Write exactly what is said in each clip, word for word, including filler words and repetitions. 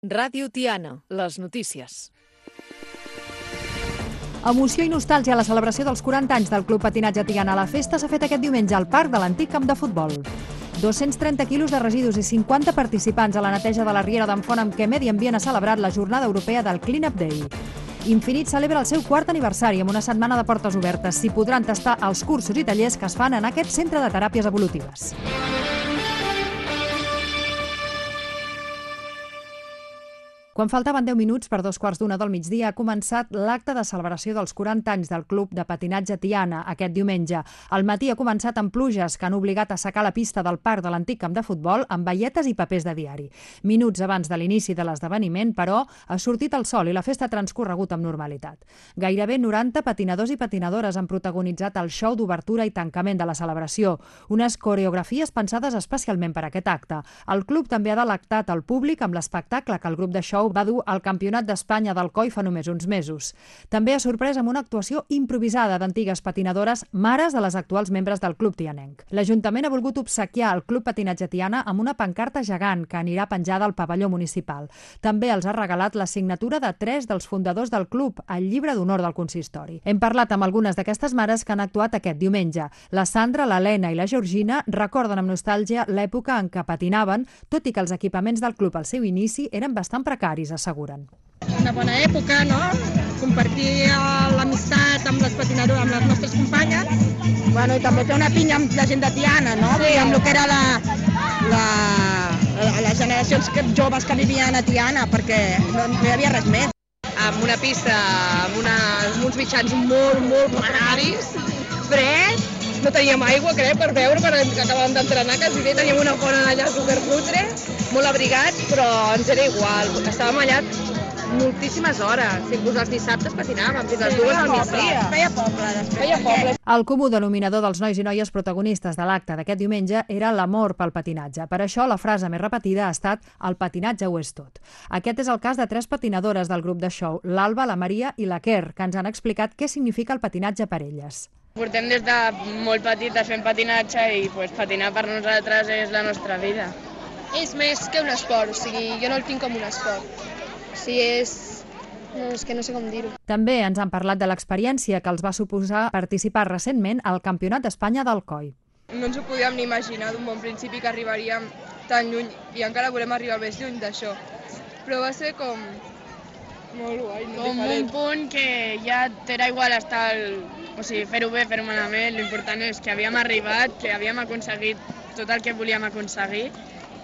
Ràdio Tiana, les notícies. Emoció i nostàlgia a la celebració dels quaranta anys del Club Patinatge Tiana. La festa s'ha fet aquest diumenge al parc de l'antic camp de futbol. dos-cents trenta quilos de residus i cinquanta participants a la neteja de la riera d'en Font amb què Medi Ambient ha celebrat la jornada europea del Clean Up Day. Infinit celebra el seu quart aniversari amb una setmana de portes obertes. S'hi podran tastar els cursos i tallers que es fan en aquest centre de teràpies evolutives. Quan faltaven deu minuts per dos quarts d'una del migdia ha començat l'acte de celebració dels quaranta anys del Club de Patinatge Tiana aquest diumenge. Al matí ha començat amb pluges que han obligat a assecar la pista del parc de l'antic camp de futbol amb baietes i papers de diari. Minuts abans de l'inici de l'esdeveniment, però, ha sortit el sol i la festa ha transcorregut amb normalitat. Gairebé noranta patinadors i patinadores han protagonitzat el show d'obertura i tancament de la celebració, unes coreografies pensades especialment per a aquest acte. El club també ha delectat el públic amb l'espectacle que el grup de show va dur al Campionat d'Espanya del C O I fa només uns mesos. També ha sorprès amb una actuació improvisada d'antigues patinadores, mares de les actuals membres del club tianenc. L'Ajuntament ha volgut obsequiar el Club Patinatge Tiana amb una pancarta gegant que anirà penjada al pavelló municipal. També els ha regalat la signatura de tres dels fundadors del club, al llibre d'honor del consistori. Hem parlat amb algunes d'aquestes mares que han actuat aquest diumenge. La Sandra, l'Helena i la Georgina recorden amb nostàlgia l'època en què patinaven, tot i que els equipaments del club al seu inici eren bastant precaris, asseguren. Una bona època, no? Compartir l'amistat amb les patinadores, amb les nostres companyes. Bueno, i també fer una pinya amb la gent de Tiana, no? Sí. Amb el que era la, la, la, les generacions joves que vivien a Tiana, perquè no, no hi havia res més. Amb una pista, amb, una, amb uns mitjans molt, molt precaris, fred, no teníem aigua, crec, per beure, perquè acabàvem d'entrenar, quasi bé, teníem una font allà superputre, molt abrigats, però ens era igual, estàvem allà moltíssimes hores, inclús els dissabtes patinàvem, fins les dues del migdia. Feia poble, després. Feia poble. El comú denominador dels nois i noies protagonistes de l'acte d'aquest diumenge era l'amor pel patinatge. Per això la frase més repetida ha estat «el patinatge ho és tot». Aquest és el cas de tres patinadores del grup de show, l'Alba, la Maria i la Quer, que ens han explicat què significa el patinatge per elles. Portem des de molt petites fent patinatge i pues, patinar per nosaltres és la nostra vida. És més que un esport, o sigui, jo no el tinc com un esport. O sigui, és... No, és que no sé com dir-ho. També ens han parlat de l'experiència que els va suposar participar recentment al Campionat d'Espanya del C O I. No ens ho podíem ni imaginar d'un bon principi que arribaríem tan lluny i encara volem arribar més lluny d'això. Però va ser com... molt guai, no? Com un punt que ja t'era igual estar... El... O sigui, fer-ho bé, fer-ho malament, l'important és que havíem arribat, que havíem aconseguit tot el que volíem aconseguir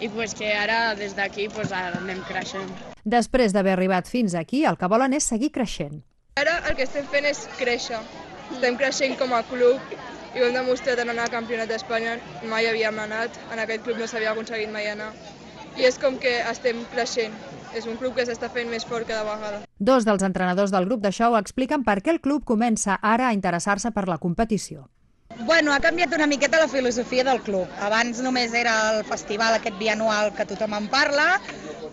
i pues, que ara, des d'aquí, pues, ara anem creixent. Després d'haver arribat fins aquí, el que volen és seguir creixent. Ara el que estem fent és créixer. Estem creixent com a club i ho hem demostrat en anar al Campionat d'Espanya. Mai havíem anat, en aquest club no s'havia aconseguit mai anar. I és com que estem creixent. És un club que s'està fent més fort cada vegada. Dos dels entrenadors del grup de show expliquen per què el club comença ara a interessar-se per la competició. Bueno, ha canviat una miqueta la filosofia del club. Abans només era el festival aquest bianual que tothom en parla,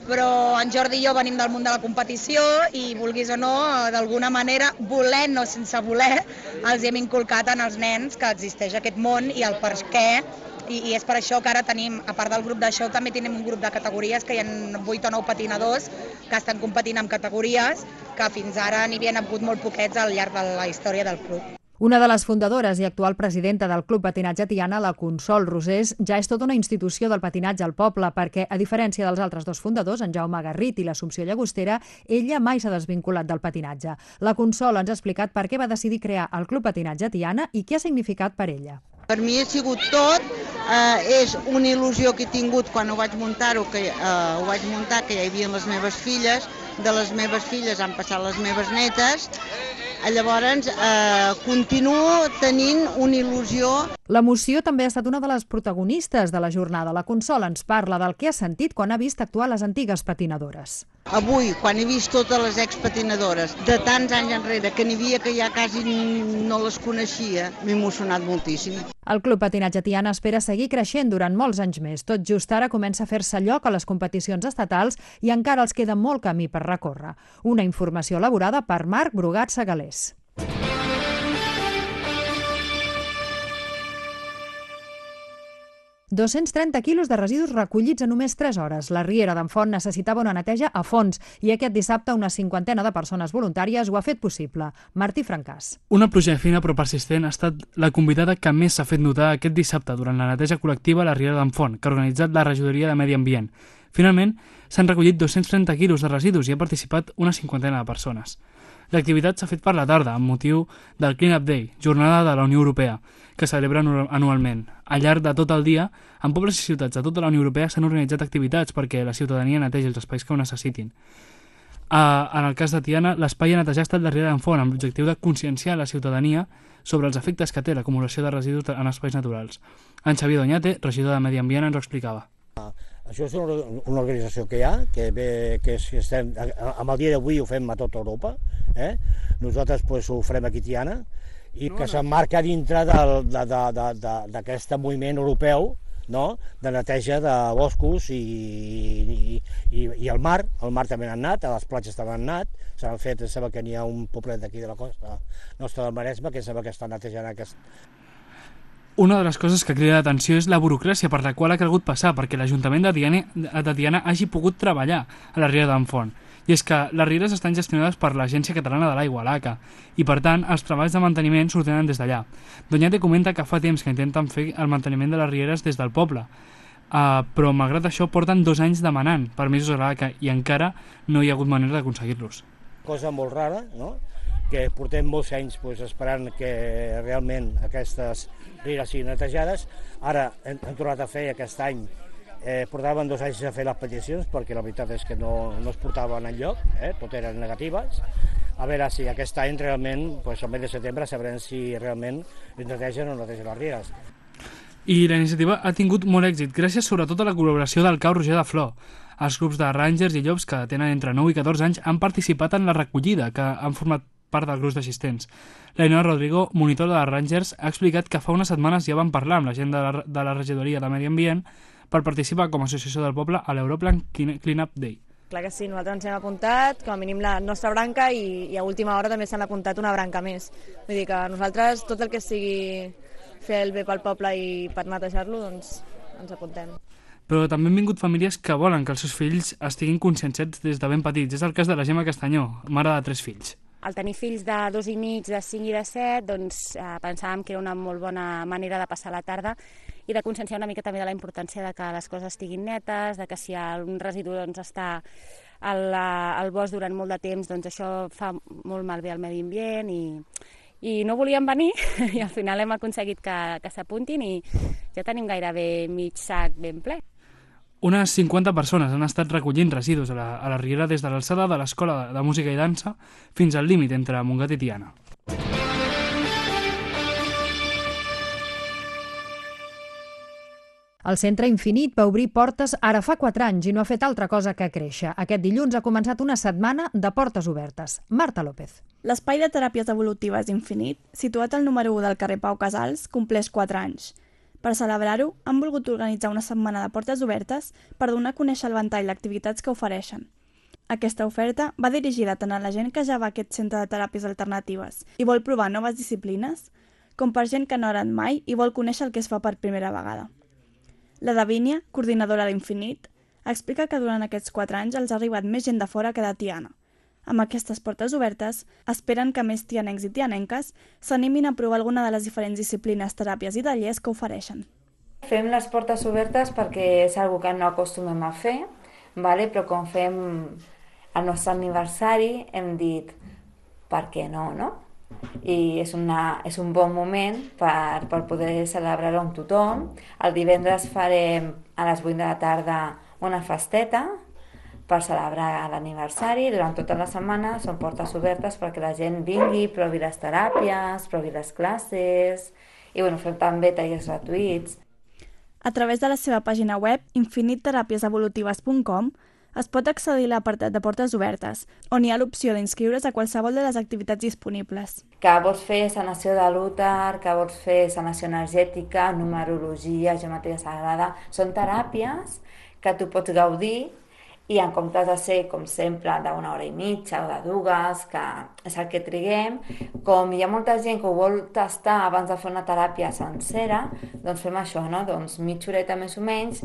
però en Jordi i jo venim del món de la competició i, vulguis o no, d'alguna manera, volent o sense voler, els hem inculcat en els nens que existeix aquest món i el per què. I, i és per això que ara tenim, a part del grup de show, també tenim un grup de categories que hi ha vuit o nou patinadors que estan competint en categories que fins ara n'hi havien hagut molt poquets al llarg de la història del club. Una de les fundadores i actual presidenta del Club Patinatge Tiana, la Consol Rosés, ja és tota una institució del patinatge al poble perquè, a diferència dels altres dos fundadors, en Jaume Garrit i l'Assumpció Llagostera, ella mai s'ha desvinculat del patinatge. La Consol ens ha explicat per què va decidir crear el Club Patinatge Tiana i què ha significat per ella. Per mi ha sigut tot, eh, és una il·lusió que he tingut quan ho vaig muntar-ho, que eh, ho vaig muntar, que ja hi havia les meves filles, de les meves filles han passat les meves netes, llavors eh, continuo tenint una il·lusió. L'emoció també ha estat una de les protagonistes de la jornada. La Consol ens parla del que ha sentit quan ha vist actuar les antigues patinadores. Avui, quan he vist totes les expatinadores de tants anys enrere, que n'hi havia que ja quasi no les coneixia, m'he emocionat moltíssim. El Club Patinatge Tiana espera seguir creixent durant molts anys més. Tot just ara comença a fer-se lloc a les competicions estatals i encara els queda molt camí per recórrer. Una informació elaborada per Marc Brugat Segalés. dos-cents trenta quilos de residus recollits en només tres hores. La Riera d'en Font necessitava una neteja a fons i aquest dissabte una cinquantena de persones voluntàries ho ha fet possible. Martí Francàs. Una pluja fina però persistent ha estat la convidada que més s'ha fet notar aquest dissabte durant la neteja col·lectiva a la Riera d'en Font, que ha organitzat la Regidoria de Medi Ambient. Finalment, s'han recollit dos-cents trenta quilos de residus i ha participat una cinquantena de persones. L'activitat s'ha fet per la tarda, amb motiu del Clean Up Day, jornada de la Unió Europea, que celebra anualment. Al llarg de tot el dia, en pobles i ciutats de tota la Unió Europea s'han organitzat activitats perquè la ciutadania netegi els espais que ho necessitin. Uh, en el cas de Tiana, l'espai a netejar ha estat la Riera d'en Font, amb l'objectiu de conscienciar la ciutadania sobre els efectes que té l'acumulació de residus en espais naturals. En Xavier Doñate, regidor de Medi Ambient, ens ho explicava. Això és una, una organització que hi ha, que, ve, que estem, amb el dia d'avui ho fem a tota Europa, eh? Nosaltres pues, ho farem aquí a Tiana, i no, que no. s'emmarca dintre d'aquest moviment europeu, no? De neteja de boscos i, i, i, i el mar, el mar també n'han anat, a les platges també han anat, s'han fet, sembla que n'hi ha un poblet d'aquí de la costa nostra del Maresme que sembla que està netejant aquest... Una de les coses que crida l'atenció és la burocràcia per la qual ha calgut passar perquè l'Ajuntament de Tiana, de Tiana hagi pogut treballar a la Riera d'en Font. I és que les rieres estan gestionades per l'Agència Catalana de l'Aigua, l'A C A, i per tant els treballs de manteniment s'ordenen des d'allà. Doñate comenta que fa temps que intenten fer el manteniment de les rieres des del poble, uh, però malgrat això porten dos anys demanant permisos a l'A C A i encara no hi ha hagut manera d'aconseguir-los. Cosa molt rara, no? Que portem molts anys pues, esperant que realment aquestes rieres siguin netejades. Ara hem, hem tornat a fer aquest any, eh, portaven dos anys a fer les peticions perquè la veritat és que no, no es portaven enlloc, eh, tot eren negatives. A veure si aquest any realment, pues, al mes de setembre, sabrem si realment netegen o no netegen les rieres. I la iniciativa ha tingut molt èxit, gràcies sobretot a la col·laboració del Cau Roger de Flor. Els grups de rangers i llops que tenen entre nou i catorze anys han participat en la recollida, que han format part del grup d'assistents. L'Ainhoa Rodrigo, monitor de les Rangers, ha explicat que fa unes setmanes ja van parlar amb la gent de la, de la regidoria de Medi Ambient per participar com a associació del poble a l'Europlan Clean Up Day. Clar que sí, nosaltres ens hem apuntat, com a mínim la nostra branca, i, i a última hora també s'han apuntat una branca més. Vull dir que nosaltres, tot el que sigui fer el bé pel poble i per netejar-lo, doncs ens apuntem. Però també han vingut famílies que volen que els seus fills estiguin conscienciats des de ben petits. És el cas de la Gemma Castanyó, mare de tres fills. Al tenir fills de dos i mig, de cinc i de set, doncs eh, pensàvem que era una molt bona manera de passar la tarda i de conscienciar una mica també de la importància de que les coses estiguin netes, de que si un residu doncs, està al, al bosc durant molt de temps, doncs això fa molt malbé al medi ambient i, i no volien venir i al final hem aconseguit que, que s'apuntin i ja tenim gairebé mig sac ben ple. Unes cinquanta persones han estat recollint residus a la, a la Riera des de l'alçada de l'Escola de, de Música i Dansa fins al límit entre Montgat i Tiana. El Centre Infinit va obrir portes ara fa quatre anys i no ha fet altra cosa que créixer. Aquest dilluns ha començat una setmana de portes obertes. Marta López. L'espai de teràpies evolutives Infinit, situat al número u del carrer Pau Casals, compleix quatre anys. Per celebrar-ho, han volgut organitzar una setmana de portes obertes per donar a conèixer el ventall d'activitats que ofereixen. Aquesta oferta va dirigida tant a la gent que ja va a aquest centre de teràpies alternatives i vol provar noves disciplines, com per gent que no ha anat mai i vol conèixer el que es fa per primera vegada. La Davínia, coordinadora d'Infinit, explica que durant aquests quatre anys els ha arribat més gent de fora que de Tiana. Amb aquestes portes obertes, esperen que més tianencs i tianenques s'animin a provar alguna de les diferents disciplines, teràpies i tallers que ofereixen. Fem les portes obertes perquè és una cosa que no acostumem a fer, vale? Però com fem el nostre aniversari hem dit per què no, no? I és, una, és un bon moment per, per poder celebrar-ho amb tothom. El divendres farem a les vuit de la tarda una festeta per celebrar l'aniversari. Durant tota la setmana són portes obertes perquè la gent vingui, provi les teràpies, provi les classes i bueno, fem també tallers gratuïts. A través de la seva pàgina web, infinit teràpies evolutives punt com, es pot accedir a l'apartat de portes obertes, on hi ha l'opció d'inscriure's a qualsevol de les activitats disponibles. Que vols fer sanació de l'úter, que vols fer sanació energètica, numerologia, geometria sagrada, són teràpies que tu pots gaudir i en comptes de ser, com sempre, d'una hora i mitja o de dues, que és el que triguem, com hi ha molta gent que ho vol tastar abans de fer una teràpia sencera, doncs fem això, no? Doncs mitja horeta més o menys,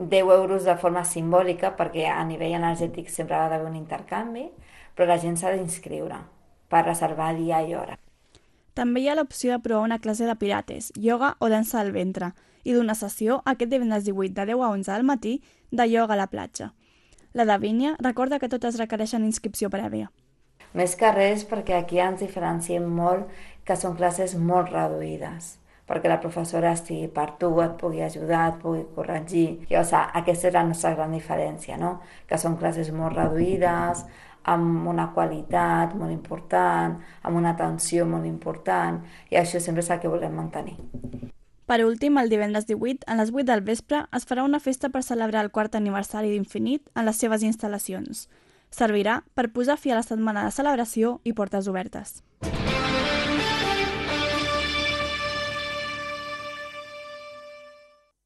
deu euros de forma simbòlica, perquè a nivell energètic sempre ha d'haver un intercanvi, però la gent s'ha d'inscriure per reservar dia i hora. També hi ha l'opció de provar una classe de pilates, ioga o dansa del ventre, i d'una sessió aquest divendres divuit de deu a onze del matí de ioga a la platja. La Davinia recorda que totes requereixen inscripció prèvia. Més que res perquè aquí ens diferenciem molt que són classes molt reduïdes, perquè la professora estigui per tu, et pugui ajudar, et pugui corregir. I, o sigui, aquesta és la nostra gran diferència, no? Que són classes molt reduïdes, amb una qualitat molt important, amb una atenció molt important, i això sempre és el que volem mantenir. Per últim, el divendres divuit, a les vuit del vespre, es farà una festa per celebrar el quart aniversari d'Infinit en les seves instal·lacions. Servirà per posar fi a la setmana de celebració i portes obertes.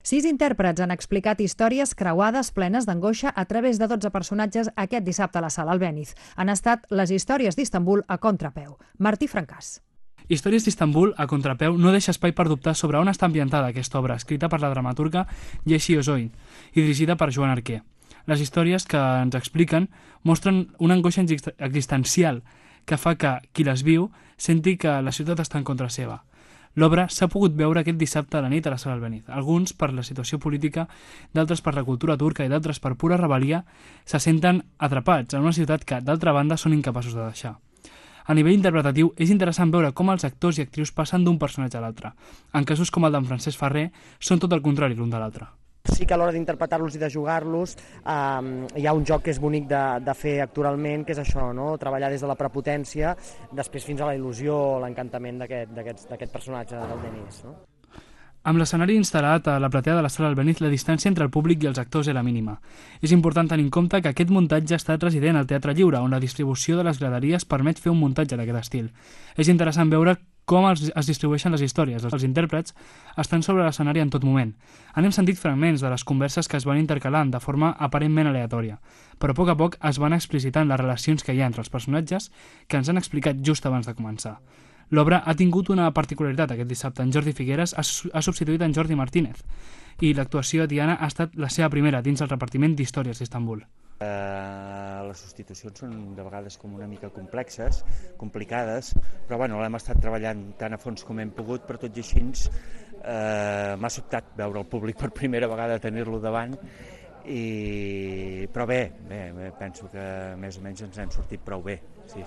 Sis intèrprets han explicat històries creuades plenes d'angoixa a través de dotze personatges aquest dissabte a la Sala Albéniz. Han estat les històries d'Istanbul a contrapeu. Martí Francàs. Històries d'Istanbul, a contrapeu, no deixa espai per dubtar sobre on està ambientada aquesta obra, escrita per la dramaturga Yeşil Özsoy i dirigida per Joan Arquer. Les històries que ens expliquen mostren una angoixa existencial que fa que qui les viu senti que la ciutat està en contra seva. L'obra s'ha pogut veure aquest dissabte a la nit a la Sala Albéniz. Alguns per la situació política, d'altres per la cultura turca i d'altres per pura rebel·lia, se senten atrapats en una ciutat que, d'altra banda, són incapaços de deixar. A nivell interpretatiu, és interessant veure com els actors i actrius passen d'un personatge a l'altre. En casos com el d'en Francesc Ferrer, són tot el contrari l'un de l'altre. Sí que a l'hora d'interpretar-los i de jugar-los eh, hi ha un joc que és bonic de, de fer actoralment, que és això, no? Treballar des de la prepotència, després fins a la il·lusió, l'encantament d'aquest personatge del Denis. No? Amb l'escenari instal·lat a la platea de la Sala Albéniz, la distància entre el públic i els actors era mínima. És important tenir en compte que aquest muntatge ha estat resident al Teatre Lliure, on la distribució de les graderies permet fer un muntatge d'aquest estil. És interessant veure com es, es distribueixen les històries. Els intèrprets estan sobre l'escenari en tot moment. Han sentit fragments de les converses que es van intercalant de forma aparentment aleatòria, però a poc a poc es van explicitant les relacions que hi ha entre els personatges que ens han explicat just abans de començar. L'obra ha tingut una particularitat aquest dissabte. En Jordi Figueres ha, ha substituït en Jordi Martínez i l'actuació de Tiana ha estat la seva primera dins el repartiment d'històries d'Istanbul. Uh, les substitucions són de vegades com una mica complexes, complicades, però bueno, l'hem estat treballant tan a fons com hem pogut, però tot i així uh, m'ha sobtat veure el públic per primera vegada, tenir-lo davant, i... però bé, bé, penso que més o menys ens hem sortit prou bé. Sí.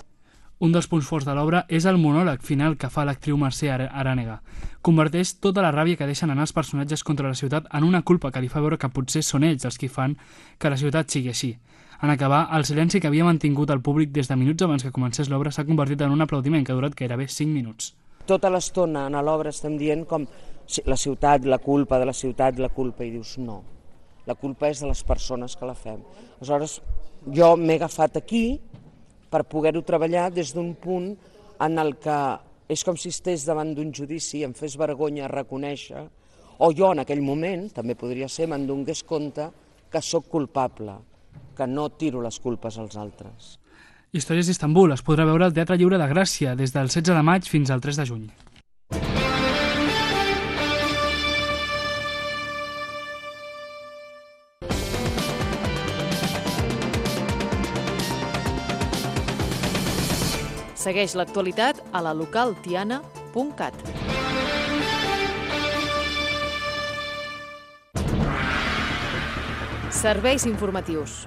Un dels punts forts de l'obra és el monòleg final que fa l'actriu Mercè Arànega. Converteix tota la ràbia que deixen anar els personatges contra la ciutat en una culpa que li fa veure que potser són ells els qui fan que la ciutat sigui així. En acabar, el silenci que havia mantingut el públic des de minuts abans que comencés l'obra s'ha convertit en un aplaudiment que ha durat gairebé cinc minuts. Tota l'estona en l'obra estem dient com la ciutat, la culpa de la ciutat, la culpa, i dius no, la culpa és de les persones que la fem. Aleshores, jo m'he agafat aquí per poder-ho treballar des d'un punt en el que és com si estigués davant d'un judici, em fes vergonya reconèixer, o jo en aquell moment, també podria ser, me'n donés compte que sóc culpable, que no tiro les culpes als altres. Històries d'Istanbul es podrà veure al Teatre Lliure de Gràcia des del setze de maig fins al tres de juny. Segueix l'actualitat a la local tiana punt cat. Serveis informatius.